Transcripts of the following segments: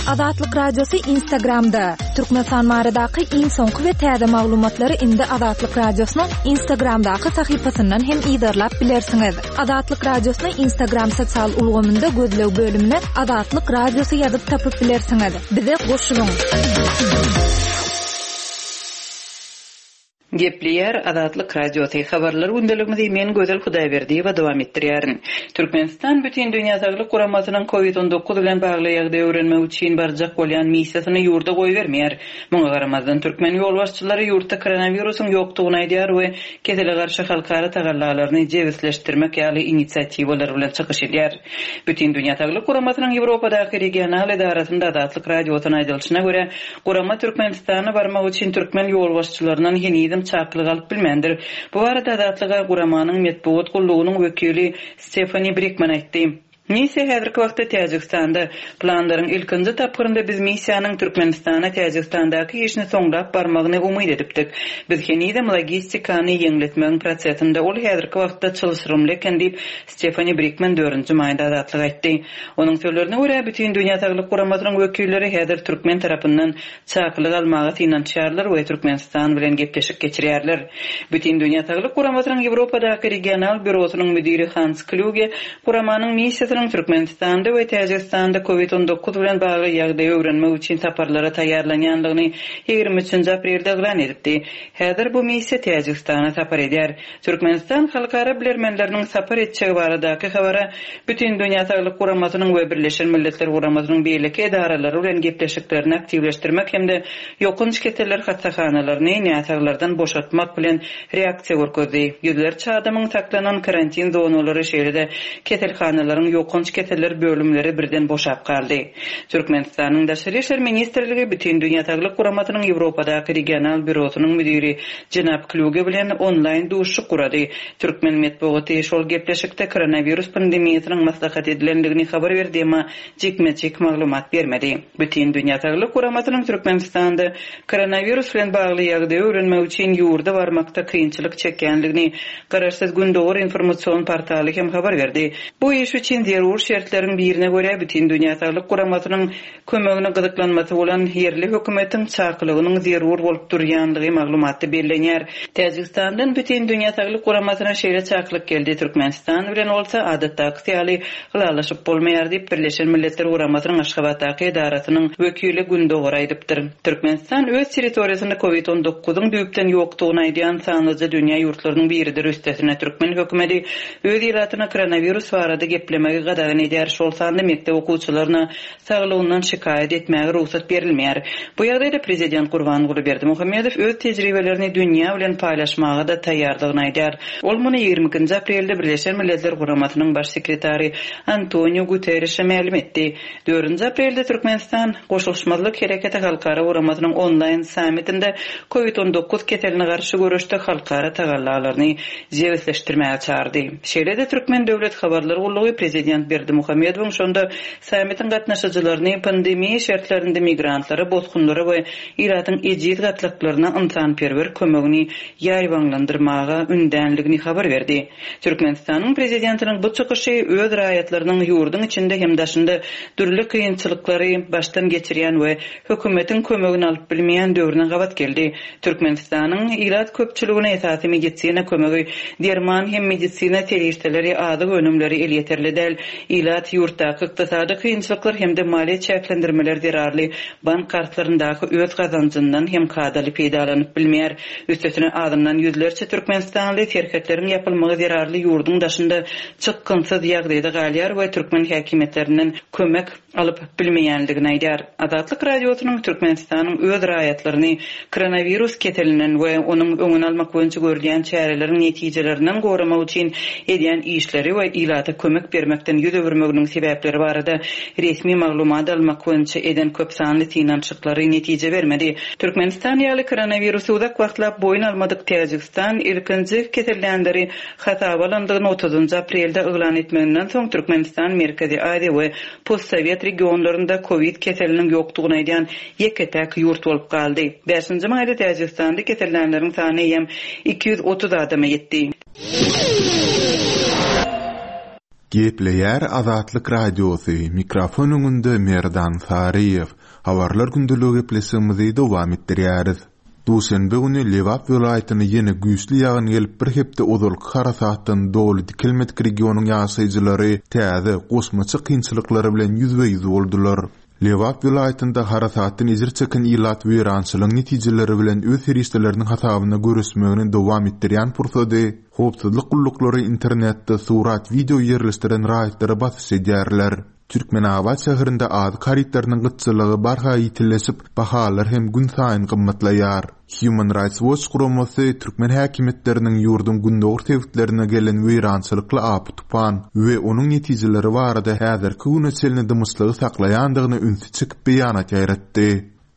Azatlyk Radiosy Instagramda, Türkmenistan baradaky iň soňky we täze maglumatlary indi Azatlyk Radiosynyň Instagramdaky sahypasyndan hem yzarlap bilersiňiz. Azatlyk Radiosyny Instagram sosial ulgamynda gözleg bölümine Azatlyk Radiosy ýazyp tapyp bilersiňiz. Bize goşulyň! Gepleýär Azatlyk Radiosy, Habarlar gündeligimizi men Gözel Hudaýberdiýewa dowam etdirýärin. Türkmenistan Bütindünýä Saglyk Guramasynyň Covid 19 bilen bagly ýagdaýy öwrenmek üçin barjak bolýan missiýasyny ýurda goýbermeýär. Muňa garamazdan, türkmen ýolbaşçylary ýurtda koronawirusyň ýokdugyny aýdýar we kesele garşy halkara tagallalaryny jebisleşdirmek ýaly inisiatiwalar bilen çykyş edýär. Bütindünýä Saglyk Guramasynyň Ýewropadaky regional edarasynda Azatlyk Radiosyna aýdylyşyna görä, Gurama Türkmenistana barmak üçin türkmen ýolbaşçylaryndan henizem çakylyk alyp bilmändir. Bu barada Azatlyga guramanyň metbugat gullugynyň wekili Stefani Brikman aýtdy. Missiýa häzirki wagtda Täjigistanda. Planlaryň ilkinji tapgyrynda biz missiýanyň Türkmenistana Täjigistandaky işini soňlap barmagyny umyt edipdik. Biz henizem logistikany ýeňletmegiň prosesinde, ol häzirki wagtda çylşyrymly eken diýip, Stefani Brikman dördünji maýda Azatlyga aýtdy. Onuň sözlerine görä, Bütindünýä Saglyk Guramasynyň wekilleri häzir türkmen tarapyndan çakylyk almaga synanyşýarlar we Türkmenistan bilen gepleşik geçirýärler. Bütindünýä Saglyk Guramasynyň Ýewropadaky regional býurosynyň müdiri Hans Klýuge guramanyň missiýasynyň Türkmenistanda we Täjigistanda Covid 19 bilen bagly ýagdaýy öwrenmek üçin saparlara taýýarlanýandygyny 23-nji aprelde yglan edipdi. Häzir bu missiýa Täjigistana sapar edýär. Türkmenistan halkara bilermenleriniň sapar etjegi baradaky habara Bütindünýä Saglyk Guramasynyň we Birleşen Milletler Guramasynyň beýleki edaralary bilen gepleşiklerini aktiwleşdirmek hem-de ýokanç keseller hassahanalaryny näsaglardan boşatmak bilen reaksiýa görkezdi. Ýüzlerçe adamyň saklanan karantin zonalary, şeýle-de keselhanalaryň ýokanç keseller bölümleri birden boşap galdy. Türkmenistanyň Daşary işler ministrligi Bütindünýä Saglyk Guramasynyň Ýewropadaky regional býurosynyň müdiri Jenap Klýuge bilen onlaýn duşuşyk gurady. Türkmen metbugaty şol gepleşikde koronawirus pandemiýasynyň maslahat edilendigini habar berdi, emma jikme-jik maglumat bermedi. Bütindünýä Saglyk Guramasynyň Türkmenistanda koronawirus bilen bagly ýagdaýy öwrenmek üçin ýurda barmakda kynçylyk çekýändigini Garaşsyz Gündogar informasion portaly hem habar berdi. Bu iş üçin zerur şertleriň birine görä, Bütindünýä Saglyk Guramasynyň Kömegine gyzyklanmasy bolan ýerli hökümetiň çakylygynyň zerur bolup durýandygy maglumatda bellenýär. Täjigistandan Bütindünýä Saglyk Guramasyna şeýle çakylyk geldi, Türkmenistan bilen bolsa adatdakysy ýaly ylalaşyp bolmaýar diýip, Birleşen Milletler Guramasynyň Aşgabatdaky edarasynyň wekili Gündogara aýdypdyr. Türkmenistan öz territoriýasynda Covid 19 yň düýpden ýokdugyny aýdýan sanlyja dünýä ýurtlarynyň biridir, üstesine türkmen hökümeti öz ilatyna koronawirus barada geplemegi gadagan edýär, şol sanda mekdep okuwçylaryna saglygyndan şikaýat etmäge rugsat berilmeýär. Bu ýagdaýda prezident Gurbanguly Berdimuhamedow öz tejribelerini dünýä bilen paýlaşmaga-da taýýardygyny aýdýar. Ol muny 22-nji aprelde Birleşen Milletler Guramasynyň Baş sekretary Antoniu Guterrişe mälim etdi. Dördünji aprelde Türkmenistan Goşulyşmazlyk Hereketi halkara guramasynyň onlaýn sammitinde Covid 19 keseline garşy göreşde halkara tagallalaryny jebisleşdirmäge çagyrdy. Şeýle-de Türkmen döwlet habarlar gullugy prezident Berdimuhamedowyň şonda Sammitiň gatnaşyjylaryny pandemiýa şertlerinde migrantlara, bosgunlara we ilatyň ejiz gatlaklaryna ynsanperwer kömegini ýaýbaňlandyrmaga ündänligini habar berdi. Türkmenistanyň Prezidentiniň bu çykyşy öz raýatlarynyň ýurduň içinde hem daşynda dürli kynçylyklary başdan geçirýän we hökümetiň kömegini alyp bilmeýän döwrüne gabat geldi. Türkmenistanyň ilat köpçüligine esasy medisina kömegi, derman hem medisina serişdeleri, azyk önümleri elýeterli däl. Ilat ýurtdaky ykdysady kynçylyklar hem-de maliýe çäklendirmeler zerarly bank kartlaryndaky öz gazanjyndan hem kadaly peýdalanyp bilmeýär. Üstesine azyndan ýüzlerçe türkmenistanly serhetleriň ýapylmagy zerarly ýurduň daşynda çykgynsyz ýagdaýda galýar we türkmen häkimiýetlerinden kömek alyp bilmeýändigini aýdýar. Azatlyk Radiosynyň Türkmenistanyň öz raýatlaryny koronawirus keselinden we onuň öňüni almak boýunça görülýän çäreleriň netijelerinden goramak üçin edýän işleri we ilata kömek bermekden ýüz öwürmeginiň sebäpleri barada resmi maglumat almak boýunça eden köpsanly synanyşyklary netije bermedi. Türkmenistan ýaly koronawirusy uzak wagtlap boýun almadyk Täjigistan ilkinji kesellänleri Hasaba alandygyny otuzynjy aprelde yglan etmeginden soň Türkmenistan Merkezi Aziýa we postsowet regionlarynda kowid keseliniň ýokdugyny aýdýan ýeke-täk ýurt bolup galdy. Bäşinji maýda Täjigistanda kesellänleriň sany eýýäm 230 adama ýetdi. Gepleýär Azatlyk Radiosy, mikrofon öňünde Merdan Saryýew. Habarlar gündeligi gepleşigimizi dowam etdirýäris. Duşenbe güni Lebap welaýatyna ýene güýçli ýagyn gelip bir hepde ozalky harasatdan doly dikelmedik regionyň ýaşaýjylary täze, goşmaça kynçylyklar bilen ýüzbe-ýüz boldular. Lebap welaýatynda harasatdan ejir çeken ilat weýrançylygyň netijeleri bilen öz serişdeleriniň hasabyna göreşmegini dowam etdirýän pursady, howpsuzlyk gulluklary internetde surat-wideo ýerleşdiren raýatlara basyş edýärler. Türkmenabat şäherinde azyk harytlarynyň gytçylygy barha ýitileşip, bahalar hem günsaýyn gymmatlaýar. Human Rights Watch guramasy türkmen häkimiýetleriniň ýurduň gündogar sebitlerine gelen weýrançylykly apy-tupan we onuň netijeleri barada häzirki güne çenli dymyşlygy saklaýandygyna ünsi çekip beýanat ýaýratdy.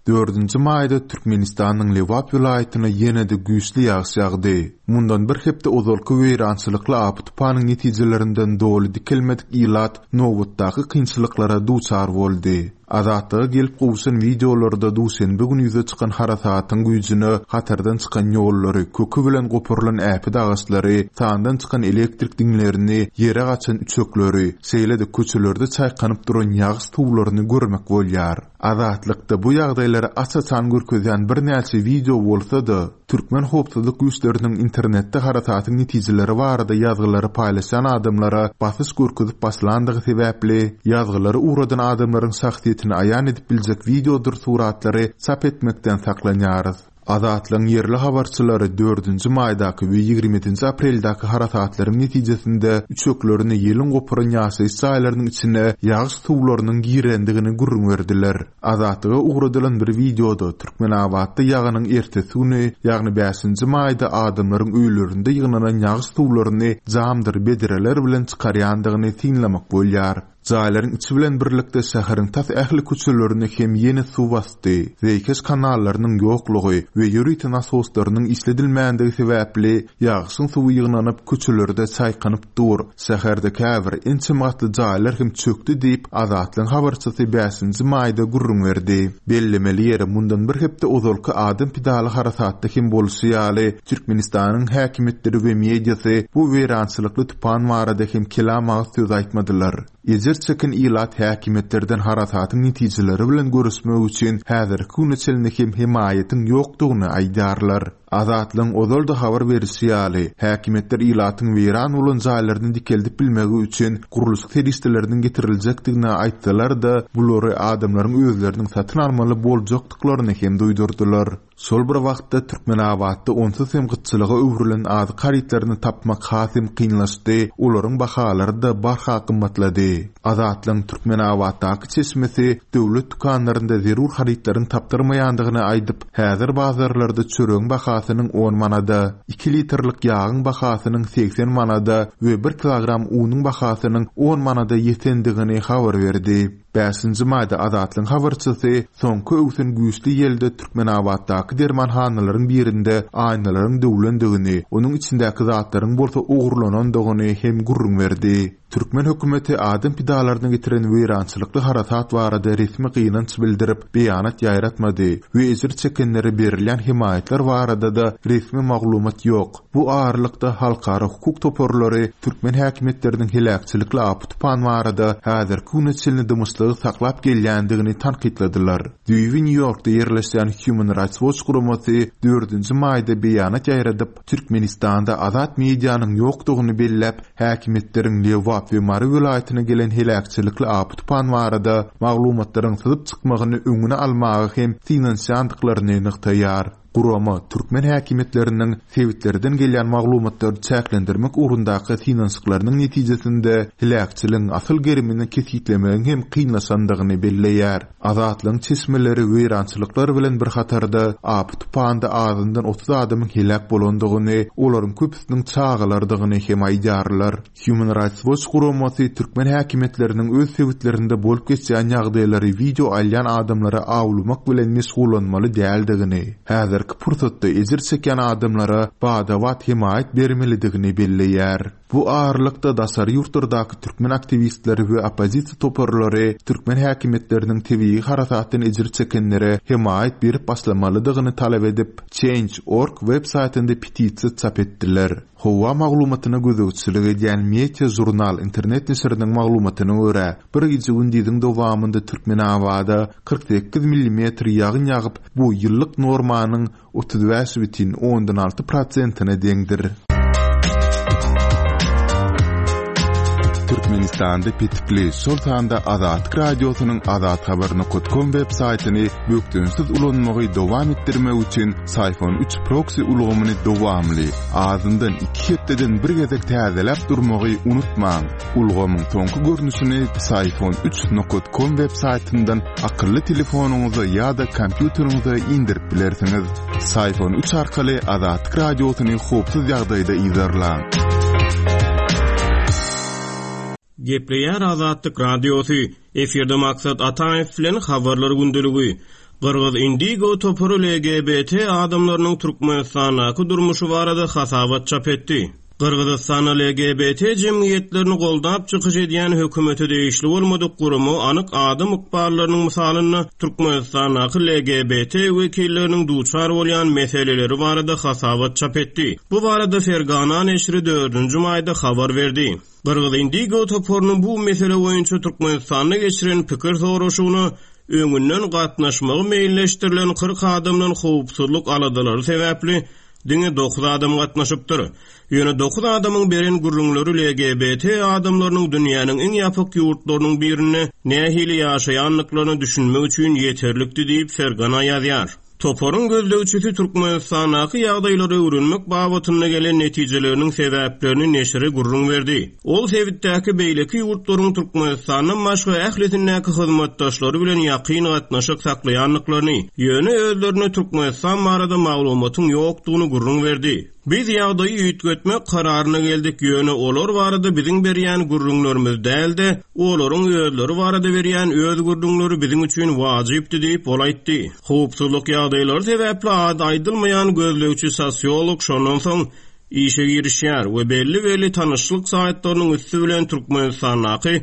Dördünji maýda Türkmenistanyň Lebap welaýatyna ýene-de güýçli ýagyş ýagdy. Mundan bir hepde ozalky weýrançylykly apy-tupanyň netijelerinden doly dikelmedik ilat nobatdaky kynçylyklara duçar boldy. Azatlyga gelip gowşan wideolarda duşenbe güni ýüze çykan harasatyň güýjüne hatardan çykan ýollary, köki bilen goparylan äpet agaçlary, sandan çykan elektrik diňlerini, ýere gaçan üçekleri, şeýle-de köçelerde çaýkanyp duran ýagyş suwlaryny görmek bolýar. Azatlykda bu ýagdaýlary aç-açan görkezýän birnäçe wideo bolsa-da, türkmen howpsuzlyk güýçleriniň internetde harasatyň netijeleri barada ýazgylary paýlaşýan adamlara basyş görkezip başlandygy sebäpli, ýazgylary ugradan adamlaryň şahsyýetini aýan edip biljek wideodyr suratlary çap etmekden saklanýarys. Azatlygyň ýerli habarçylary dördünji maýdaky we 20 ýedinji apreldäki harasatlaryň netijesinde üçeklerini ýeliň goparan ýaşaýyş jaýlarynyň içine ýagyş suwlarynyň girendigini gürrüň berdiler. Azatlyga ugradylan bir wideoda Türkmenabatda ýagynyň ertesi güni, ýagny bäşinji maýda adamlaryň öýlerinde ýygnanan ýagyş suwlaryny jamdyr bedreler bilen çykarýandygyny synlamak bolýar. Jaýlaryň içi bilen birlikde şäheriň tas ähli köçelerini hem ýene suw basdy. Zeýkeş kanallarynyň ýoklugy we ýörite nasoslarynyň işledilmändigi sebäpli ýagyşyň suwy ýygnanyp, köçelerde çaýkanyp dur. Şäherde käbir ençeme gatly jaýlar hem çökdi diýip, Azatlygyň habarçysy bäşinji maýda gürrüň berdi. Bellemeli ýeri, mundan bir hepde ozalky adam pidaly harasatda hem bolşy ýaly, Türkmenistanyň häkimiýetleri we mediasy bu weýrançylykly tupan barada hem kelam agyz söz aýtmadylar. Ejir çeken ilat häkimiýetlerden harasatyň netijeleri bilen göreşmek üçin häzirki güne çenli hem hemaýatyň ýokdugyny aýdýarlar. Azatlygyň ozal-da habar berişi ýaly, häkimiýetler ilatyň weýran bolan jaýlaryny dikeldip bilmegi üçin gurluşyk serişdeleriniň getiriljekdigini aýtsalar-da, bulary adamlaryň özleriniň satyn almaly boljakdyklaryny hem duýdurdylar. Şol bir wagtda, Türkmenabatda onsuz hem gytçylyga öwrülen azyk harytlaryny tapmak has hem kynlaşdy, olaryň bahalary-da barha gymmatlady. Azatlygyň Türkmenabatdaky çeşmesi döwlet dükanlarynda zerur harytlaryň tapdyrmaýandygyny aýdyp, häzir bazarlarda çöregiň bahasynyň on manada, iki litrlik ýagyň bahasynyň 80 manada we bir kilogram unuň bahasynyň on manada ýetendigini habar berdi. Bäşinji maýda Azatlygyň habarçysy soňky öwsen güýçli ýelde Türkmenabatdaky dermanhanalaryň birinde aýnalaryň döwlendigini, onuň içindäki zatlaryň bolsa ogurlanandygyny hem gürrüň berdi. Türkmen hökümeti adam pidalaryna getiren weýrançylykly harasat barada resmi gynanç bildirip, beýanat ýaýratmady we ejir çekenlere berilýän hemaýatlar barada-da resmi maglumat ýok. Bu aralykda, halkara hukuk toparlary türkmen häkimiýetleriniň heläkçilikli apy-tupan barada häzirki güne çenli dymyşlygy saklap gelýändigini tankytladylar. Düýbi Nýu-Ýorkda ýerleşýän Human Rights Watch guramasy dördünji maýda beýanat ýaýradyp, Türkmenistanda azat medianyň ýokdugyny belläp, häkimiýetleriň Lebap we Mary welaýatyna gelen heläkçilikli apy-tupan barada maglumatlaryň syzyp çykmagyny öňüni almaga hem synanyşýandyklaryny nygtaýar. Gurama türkmen häkimiýetleriniň sebitlerden gelýän maglumatlary çäklendirmek ugrundaky synanyşyklarynyň netijesinde heläkçiligiň asyl gerimini kesgitlemegiň hem kynlaşandygyny belleýär. Azatlygyň çeşmeleri weýrançylyklar bilen bir hatarda apy-tupanda azyndan 30 adamyň heläk bolandygyny, olaryň köpüsiniň çagalardygyny hem aýdýarlar. Human Rights Watch guramasy türkmen häkimiýetleriniň öz sebitlerinde bolup geçýän ýagdaýlary wideo alýan adamlary awlamak bilen meşgullanmaly däldigini, häzirki pursatda ejir çekýän adamlara bada-bat hemaýat bermelidigini belleýär. Bu aralykda daşary ýurtlardaky türkmen aktiwistleri we oppozisiýa toparlary türkmen häkimiýetleriniň tebigy harasatdan ejir çekenlere hemaýat berip başlamalydygyny talap edip, Change. Org web saýtynda petisiýa çap etdiler. Howa maglumatyna gözegçilik edýän Meteo Žurnal internet neşiriniň maglumatyna görä, bir gije-gündiziň dowamynda Türkmenabada 48 millimetr ýagyn ýagyp, bu ýyllyk normanyň 35 bütin ondan alty prosentine deňdir. Türkmenistanda petikli, şol sanda Azatlyk Radiosynyň azathabar.com web saýtyny bökdençsiz ulanmagy dowam etdirmek üçin Syfon 3 proksi ulgamyny dowamly, azyndan iki hepdeden bir gezek täzeläp durmagy unutmaň. Ulgamyň soňky görnüşini Syfon 3 nokat com web saýtyndan akylly telefonyňyza ýa-da kompýuteriňize indirip bilersiňiz. Syfon 3 arkaly Azatlyk Radiosyny howpsuz ýagdaýda yzarlaň. Gepleýär Azatlyk Radiosy, Efirde Maksat Ataýew bilen Habarlar gündeligi. Gyrgyz Indigo topary LGBT adamlarynyň Türkmenistandaky durmuşy barada hasabat çap etdi. Gyrgyzystanda LGBT jemgyýetlerini goldap çykyş edýän hökümete degişli bolmadyk gurama anyk adam ykballarynyň mysalynda Türkmenistandaky LGBT wekilleriniň duçar bolýan meseleleri barada hasabat çap etdi. Bu barada Fergana neşiri dördünji maýda habar berdi. Gyrgyz Indigo toparynyň bu mesele boýunça Türkmenistanda geçiren pikir soraşygyna öňünden gatnaşmagy meýilleşdirilen 40 adamdan howpsuzlyk aladalary sebäpli diňe dokuz adam gatnaşypdyr. Ýöne dokuz adamyň beren gürrüňleri LGBT adamlarynyň dünýäniň iň ýapyk ýurtlarynyň birinde nähili ýaşaýandyklaryna düşünmek üçin ýeterlikdi diýip, Fergana ýazýar. Toparyň gözlegçisi Türkmenistandaky ýagdaýlary öwrenmek babatynda gelen netijeleriniň sebäplerini neşire gürrüň berdi. Ol sebitdäki beýleki ýurtlaryň Türkmenistandan başga ählisindäki hyzmatdaşlary bilen ýakyn gatnaşyk saklaýandyklaryny, ýöne özlerinde Türkmenistan barada maglumatyň ýokdugyny gürrüň berdi. Biz ýagdaýy üýtgetmek kararyna geldik, ýöne olar barada biziň berýän gürrüňlerimiz däl-de, olaryň özleri barada berýän öz gürrüňleri biziň üçin wajypdy diýip, ol aýtdy. Howpsuzlyk ýagdaýlary sebäpli ady aýdylmaýan gözlegçi sosiolog şondan soň işe girişýär we belli-belli tanyşlyk saýtlarynyň üsti bilen Türkmenistandaky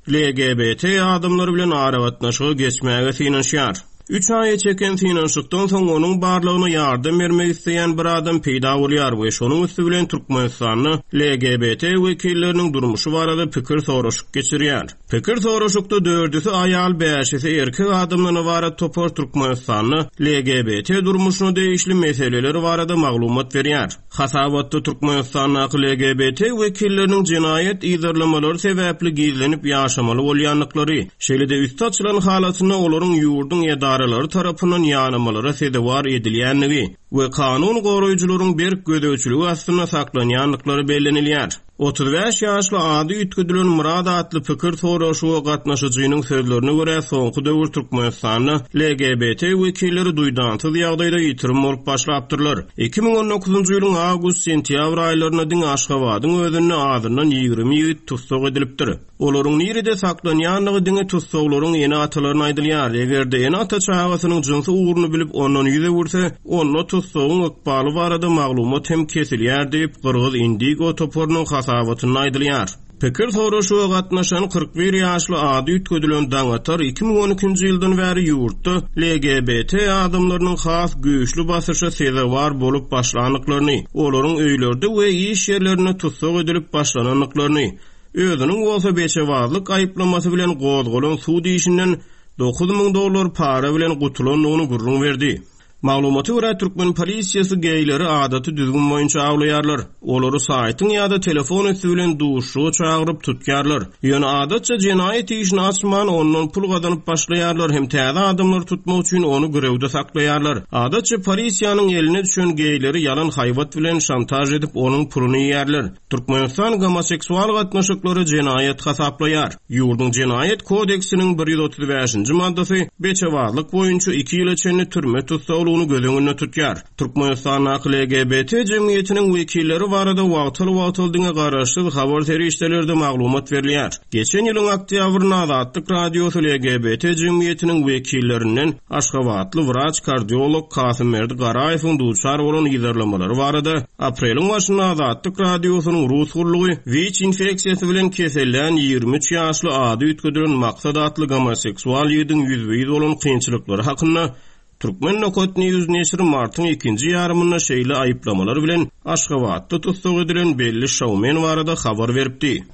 LGBT adamlary bilen aragatnaşyga geçmäge synanyşýar. Üç aýa çeken synanyşykdan soň onuň barlygyna ýardam bermek isleýän bir adam peýda bolýar we şonuň üsti bilen Türkmenistanda LGBT wekilleriniň durmuşy barada pikir soraşyk geçirýär. Pikir soraşykda dördüsi aýal, bäşisi erkek adamdan ybarat topar Türkmenistanda LGBT durmuşyna degişli meseleler barada maglumat berýär. Hasabatda Türkmenistandaky LGBT wekilleriniň jenaýat yzarlamalary sebäpli gizlenip ýaşamaly bolýandyklary, şeýle-de üsti açylan halatynda olaryň ýurduň edaralary tarapyndan ýanamalara sezewar edilýändigi we kanun goraýjylaryň berk gözegçiligi astynda saklanýandyklary bellenilýär. 35 ýaşly ady üýtgedilen Myrat atly pikir soraşyga gatnaşyjynyň sözlerine görä, soňky döwür Türkmenistanda LGBT wekilleri duýdansyz ýagdaýda ýitirim bolup başlapdyrlar. 2019-njy ýylyň awgust-sentýabr aýlarynda diňe Aşgabadyň özünde azyndan 20 ýigit tussag edilipdir. Olaryň nirede saklanýandygy diňe tussaglaryň ene-atalaryna aýdylýar. Eger-de ene-ata çagasynyň jynsy ugruny bilip, ondan ýüz öwürse, onda tussagyň ykbaly barada maglumat hem kesilýär diýip, Gyrgyz Indigo toparynyň hasabatynda aýdylýar. Pikir soraşyga gatnaşan 41 ýaşly ady üýtgedilen Daňatar 2012-nji ýyldan bäri ýurtda LGBT adamlarynyň has güýçli basyşa sezewar bolup başlandyklaryny, olaryň öýlerde we iş ýerlerinde tussag edilip başlanandyklaryny, Özüniň bolsa beçebazlyk aýyplamasy bilen gozgalan sud işinden 9000 dollar para bilen gutulandygyny gürrüň berdi. Maglumata görä, türkmen polisiýasy geýleri adaty düzgün boýunça awlaýarlar. Olary saýtyň ýa-da telefon üsti bilen duşuşyga çagyryp tutýarlar. Ýöne adatça jenaýat işini açman, ondan pul gazanyp başlaýarlar hem täze adamlary tutmak üçin ony girewde saklaýarlar. Adatça polisiýanyň eline düşen geýleri ýalan haýbat bilen şantaž edip, onuň puluny iýýärler. Türkmenistan gomoseksual gatnaşyklary jenaýat hasaplaýar. Ýurduň Jenaýat kodeksiniň 135-nji maddasy beçebazlyk boýunça iki ýyla çenli türme tussaglygy. zerurlygyny göz öňünde tutýar. Türkmenistandaky LGBT jemgyýetiniň wekilleri barada wagtal-wagtal diňe garaşsyz habar serişdelerde maglumat berilýär. Geçen ýylyň oktýabrynda Azatlyk Radiosy LGBT jemgyýetiniň wekillerinden aşgabatly wraç-kardiolog Kasymberdi Garaýewiň duçar bolan yzarlamalary barada, apreliň başynda Azatlyk Radiosynyň rus gullugy WIÇ infeksiýasy bilen kesellän 23 ýaşly ady üýtgedilen Maksat atly gomoseksual ýigidiň ýüzbe-ýüz bolan kynçylyklary hakynda Turkmen Nokat News neşiri martyň ikinji ýarymynda şeýle aýyplamalar bilen Aşgabatda tussag edilen belli şoumen barada habar beripdi.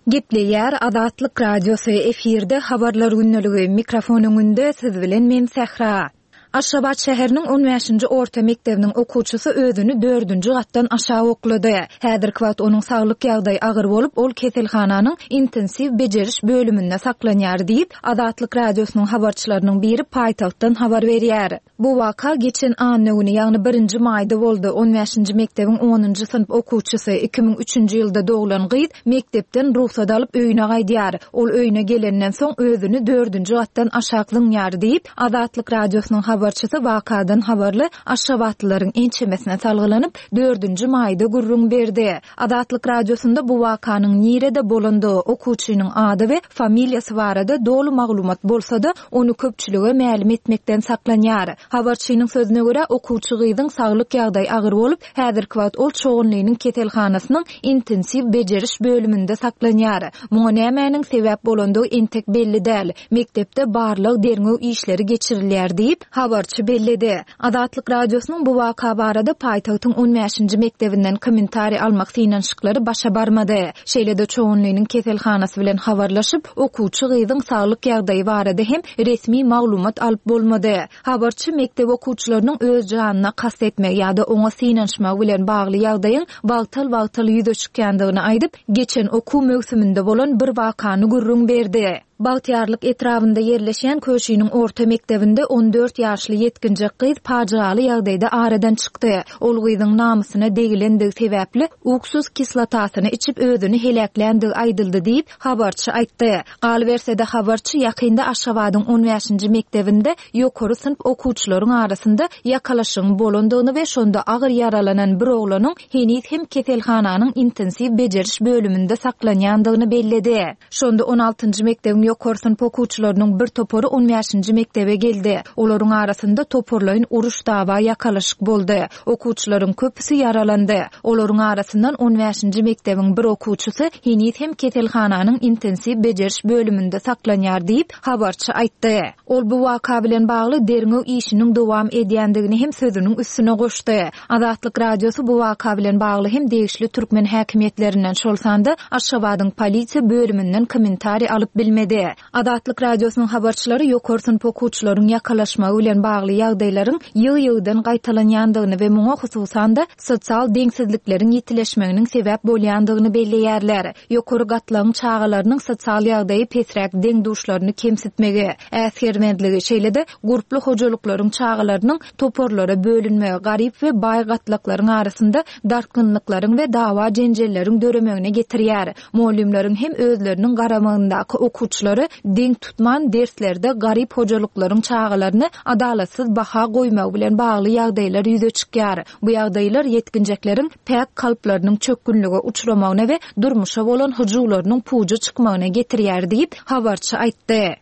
Gepleýär Azatlyk Radiosy, efirde Habarlar gündeligi, mikrofon öňünde siz bilen men Sähra. Aşgabat şäheriniň on bäşinji orta mekdebiniň okuwçysy özüni dördünji gatdan aşak oklady. Häzirki wagt onuň saglyk ýagdaýy agyr bolup, ol keselhananyň intensiw bejeriş bölüminde saklanýar diýip, Azatlyk Radiosynyň habarçylarynyň biri paýtagtdan habar berýär. Bu waka geçen anna güni, ýagny birinji maýda boldy. On bäşinji mekdebiň onunjy synp okuwçysy, 2003-nji ýylda doglan gyz mekdepden rugsat alyp öýüne gaýdýar. Ol öýüne gelenden soň özüni dördünji gatdan aşak zyňýar diýip, Azatlyk Radiosynyň habarçysy wakadan habarly aşgabatlylaryň ençemesine salgylanyp, dördünji maýda gürrüň berdi. Azatlyk Radiosynda bu wakanyň nirede bolandygy, okuwçynyň ady we familiýasy barada doly maglumat bolsa-da, ony köpçülige mälim etmekden saklanýar. Habarçynyň sözüne görä, okuwçy gyzyň saglyk ýagdaýy agyr bolup, häzirki wagt ol Çoganlynyň keselhanasynyň intensiw bejeriş bölüminde saklanýar. Muňa nämäniň sebäp bolandygy entek belli däl. Mekdepde barlag-derňew işleri geçirilýär diýip, habarçy belledi. Azatlyk Radiosynyň bu waka barada paýtagtyň on bäşinji mekdebinden kommentariý almak synanyşyklary başa barmady. Şeýle-de Çoganlynyň keselhanasy bilen habarlaşyp, okuwçy gyzyň saglyk ýagdaýy barada hem resmi maglumat alyp bolmady. Habarçy mekdep okuwçylarynyň öz janyna kast etmegi ýa-da oňa synanyşmagy bilen bagly ýagdaýyň wagtal-wagtal ýüze çykýandygyny aýdyp, geçen okuw möwsüminde bolan bir wakany gürrüň berdi. Bagtyýarlyk etrabynda ýerleşýän Köşiniň orta mekdebinde 14 ýaşly ýetginjek gyz pajygaly ýagdaýda aradan çykdy. Ol gyzyň namysyna degilendigi sebäpli uksus kislotasyny içip özüni heläkländigi aýdyldy diýip, habarçy aýtdy. Galyberse-de, habarçy ýakynda Aşgabadyň on bäşinji mekdebinde ýokary synp okuwçylaryň arasynda ýakalaşygyň bolandygyny we şonda agyr ýaralanan bir oglanyň heniz hem keselhananyň intensiw bejeriş bölüminde saklanýandygyny belledi. Şonda on altynjy mekdebiň ýokary synp okuwçylarynyň bir topary on bäşinji mekdebe geldi. Olaryň arasynda toparlaýyn uruş-dawa, ýakalaşyk boldy. Okuwçylaryň köpüsi ýaralandy. Olaryň arasyndan on bäşinji mekdebiň bir okuwçysy heniz hem keselhananyň intensiw bejeriş bölüminde saklanýar diýip, habarçy aýtdy. Ol bu waka bilen bagly derňew işiniň dowam edýändigini hem sözüniň üstüne goşdy. Azatlyk Radiosy bu waka bilen bagly hem degişli türkmen häkimiýetlerinden, şol sanda Aşgabadyň polisiýa bölüminden kommentariý alyp bilmedi. Azatlyk Radiosynyň habarçylary ýokary synp okuwçylaryň ýakalaşmagy bilen bagly ýagdaýlaryň ýygy-ýygydan gaýtalanýandygyny we muňa hususan-da sosial deňsizlikleriň ýitileşmeginiň sebäp bolýandygyny belleýärler. Ýokary gatlagyň çagalarynyň sosial ýagdaýy pesräk deň-duşlaryny kemsitmegi, äsgermezligi, şeýle-de gurply hojalyklaryň çagalarynyň toparlara bölünmegi garyp we baý gatlaklaryň arasynda dartgynlyklaryň we dawa-jenjelleriň döremegine getirýär. Mugallymlaryň hem özleriniň garamagyndaky okuwçylary deň tutman, derslerde garyp hojalyklaryň çagalaryny adalatsyz baha goýmagy bilen bagly ýagdaýlar ýüze çykýar. Bu ýagdaýlar ýetginjekleriň päk kalplarynyň çökgünlige uçramagyna we durmuşa bolan hyjuwlarynyň puja çykmagyna getirýär diýip, habarçy aýtdy.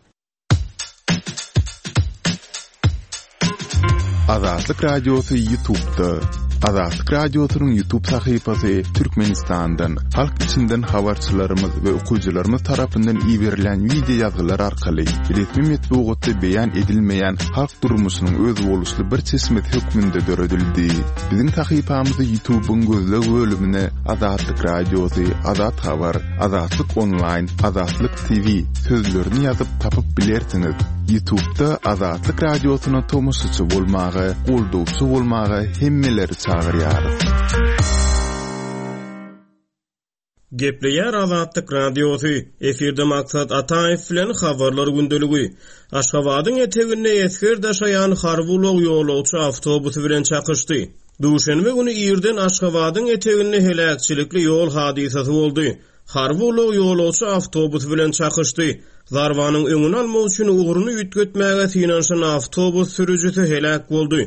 Azatlyk Radiosy Ýutubda. Azatlyk Radiosynyň Ýutub sahypasy Türkmenistandan, halk içinden habarçylarymyz we okyjylarymyz tarapyndan iberilen wideo ýazgylar arkaly resmi metbugatda beýan edilmeýän halk durmuşynyň özboluşly bir çeşmesi hökmünde döredildi. Biziň sahypamyzy Ýutubyň gözleg bölümine Azatlyk Radiosy, Azat Habar, Azatlyk Onlaýn, Azatlyk TV sözlerini ýazyp tapyp bilersiňiz. Ýutubda Azatlyk Radiosyna tomaşaçy bolmaga, goldawçy bolmaga hemmeleri çagyrýarys. Gepleýär Azatlyk Radiosy, efirde Maksat Ataýew bilen Habarlar gündeligi. Aşgabadyň eteginde esger daşaýan harby ulag ýolagçy awtobusy bilen çakyşdy. Duşenbe güni irden Aşgabadyň eteginde heläkçilikli ýol hadysasy boldy. Harby ulag ýolagçy awtobusy bilen çakyşdy. Zarbanyň öňüni almak üçin ugruny üýtgetmäge synanyşan awtobus sürüjisi heläk boldy.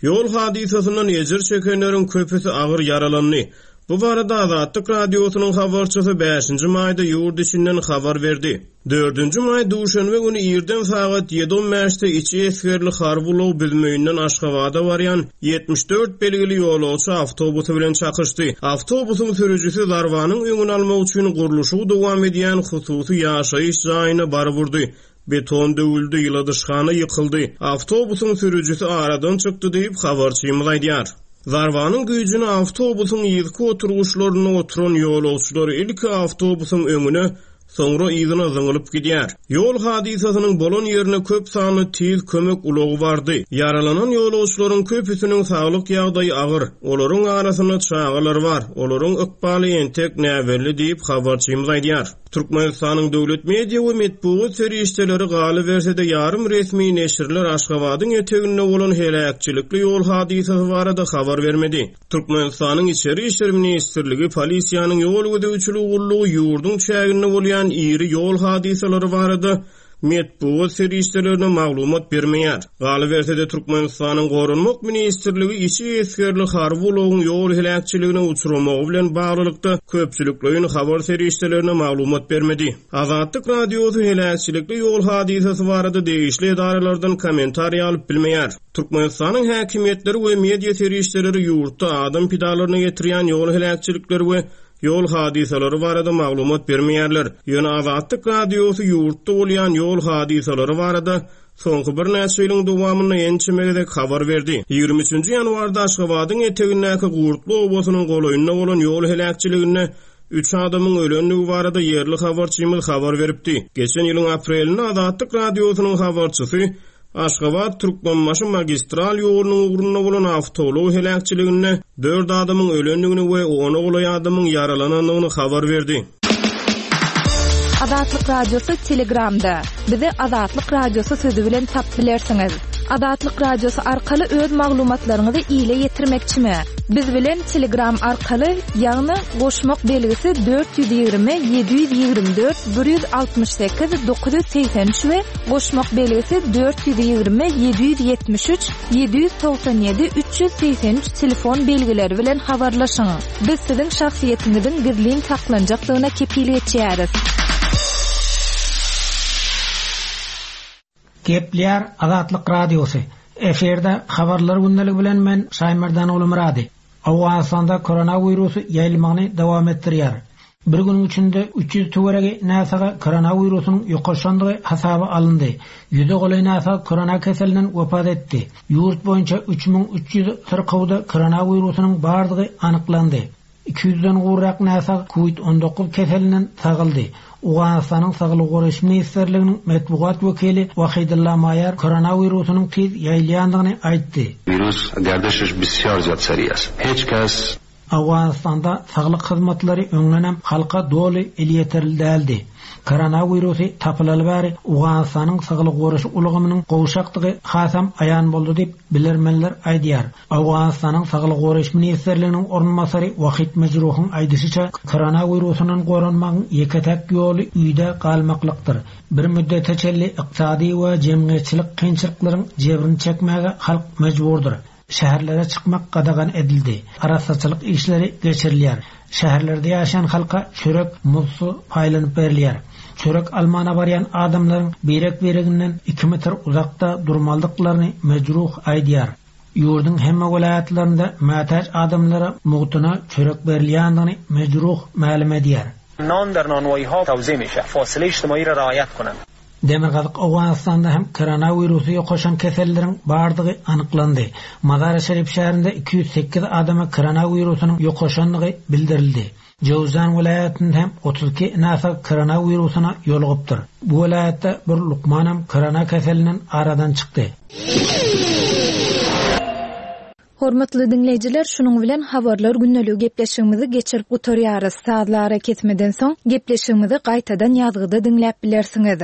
Ýol hadysasyndan ejir çekenleriň köpüsi agyr ýaralandy. Bu barada Azatlyk Radiosynyň habarçysy bäşinji maýda ýurt içinden habar berdi. Dördünji maý duşenbe güni irden sagat ýedi on bäşde içi esgerli harby ulag Büzmeýinden Aşgabada barýan 74 belgili ýolagçy awtobusy bilen çakyşdy. Awtobusyň sürüjisi zarbanyň öňüni almak üçin gurluşygy dowam edýän hususy ýaşaýyş jaýyna baryp urdy. Beton döwüldi, ýyladyşhana ýykyldy. Awtobusyň sürüjisi aradan çykdy diýip, habarçymyz aýdýar. Zarbanyň güýjüne awtobusyň yzky oturgyçlarynda oturan ýolagçylar ilki awtobusyň öňüne, soňra yzyna zyňylyp gidýär. Ýol hadysasynyň bolan ýerine köp sanly tiz kömek ulagy bardy. Ýaralanan ýolagçylaryň köpüsiniň saglyk ýagdaýy agyr, olaryň arasynda çagalar bar, olaryň ykbaly entek näbelli diýip, habarçymyz aýdýar. Türkmenistanyň döwlet media we metbugat serişdeleri, galyberse-de ýarym resmi neşirler Aşgabadyň eteginde bolan heläkçilikli ýol hadysasy barada habar bermedi. Türkmenistanyň Içeri işler ministrligi, polisiýanyň ýol gözegçiligi gullugy ýurduň çäginde bolýan iri ýol hadysalary barada metbugat serişdelerine maglumat bermeýär. Galyberse-de, Türkmenistanyň Goranmak ministrligi içi esgerli harby ulagyň ýol heläkçiligine uçramagy bilen baglylykda köpçülikleýin habar serişdelerine maglumat bermedi. Azatlyk Radiosy heläkçilikli ýol hadysasy barada degişli edaralardan kommentariý alyp bilmeýär. Türkmenistanyň häkimiýetleri we media serişdeleri ýurtda adam pidalaryna getirýän ýol heläkçilikleri we ýol hadysalary barada maglumat bermeýärler. Ýöne Azatlyk Radiosy ýurtda bolýan ýol hadysalary barada soňky birnäçe ýylyň dowamynda ençeme gezek habar berdi. 23-nji ýanwarda Aşgabadyň etegindäki Gurtly obasynyň golaýynda bolan ýol heläkçiliginde üç adamyň ölendigi barada ýerli habarçymyz habar beripdi. Geçen ýylyň aprelinde Azatlyk Radiosynyň habarçysy Aşgabat, Türkmenbaşy magistral ýolunyň ugrunda bolan awtoulag heläkçiliginde dört adamyň ölendigini we ona golaý adamyň ýaralanandygyny habar berdi. Azatlyk Radiosy Telegramda. Bizi Azatlyk Radiosy sözi bilen tapyp bilersiňiz. Azatlyk Radiosy arkaly öz maglumatlaryňyzy ile ýetirmekçimi? Biz bilen Telegram arkaly, ýagny goşmak belgisi 420 724 168 983 we Goşmak belgisi 420 773 797 383 telefon belgileri bilen habarlaşyň. Biz siziň şahsyýetiňiziň gizlin saklanjakdygyna kepil geçýäris. Gepleýär Azatlyk Radiosy. Efirde Habarlar gündeligi bilen men Şaýmerdan Ogulmyrady. Owganystanda koronawirusy ýaýylmagyny dowam etdirýär. Bir günüň içinde 300 töweregi näsaga koronawirusynyň ýokaşandygy hasaba alyndy. Ýüze golaý näsag korona keselinden wepat etdi. Ýurt boýunça 3300 syrkawda koronawirusynyň bardygy anyklandy. Iki ýüzden gowrak näsag Covid 19 keselinden sagaldy. Owganystanyň Saglygy goraýyş ministrliginiň metbugat wekili Wahidulla Maýar koronawirusynyň tiz ýaýylýandygyny aýtdy. Wirus gerdişiş bisýar zyýat seri est. Hiç kes. Owganystanda saglyk hyzmatlary öňdenem halka doly elýeterli däldi. Koronawirusy tapylaly bäri Owganystanyň saglygy goraýyş ulgamynyň gowşakdygy hasam aýan boldy diýip, bilermenler aýdýar. Owganystanyň Saglygy goraýyş ministrliginiň orunbasary Wahid Mejruhyň aýdyşyça, koronawirusyndan goranmagyň ýeke-täk ýoly öýde galmaklykdyr. Bir müddete çenli ykdysady we jemgyýetçilik kynçylyklaryň jebrini çekmäge halk mejburdyr. Şäherlere çykmak gadagan edildi. Arassaçylyk işleri geçirilýär. Şäherlerde ýaşaýan halka çörek, muzdsuz paýlanyp berilýär. Çörek almana barýan adamlaryň birek-bireginden iki metr uzakda durmalydyklaryny Mejruh aýdýar. Ýurduň hemme welaýatlarynda mätäç adamlara mugtuna çörek berilýändigini Mejruh mälim edýär. Nan der nanwaýyha tawzi mişe, fasile ijtimaýy ra raýat konan. Demirgazyk Owganystanda hem koronawirusy ýokaşan kesellileriň bardygy anyklandy. Mazar-i-Şerif şäherinde 208 adama koronawirusynyň ýokaşandygy bildirildi. Jöwzjan welaýatynda hem 32 näsag koronawirusyna ýolugypdyr. Bu welaýatda bir lukmanam korona keselinden aradan çykdy. Hormatly diňleýjiler, şunuň bilen Habarlar gündeligi gepleşigimizi geçirip gutarýarys. Sazly arakesmeden soň, gepleşigimizi gaýtadan ýazgyda diňläp bilersiňiz.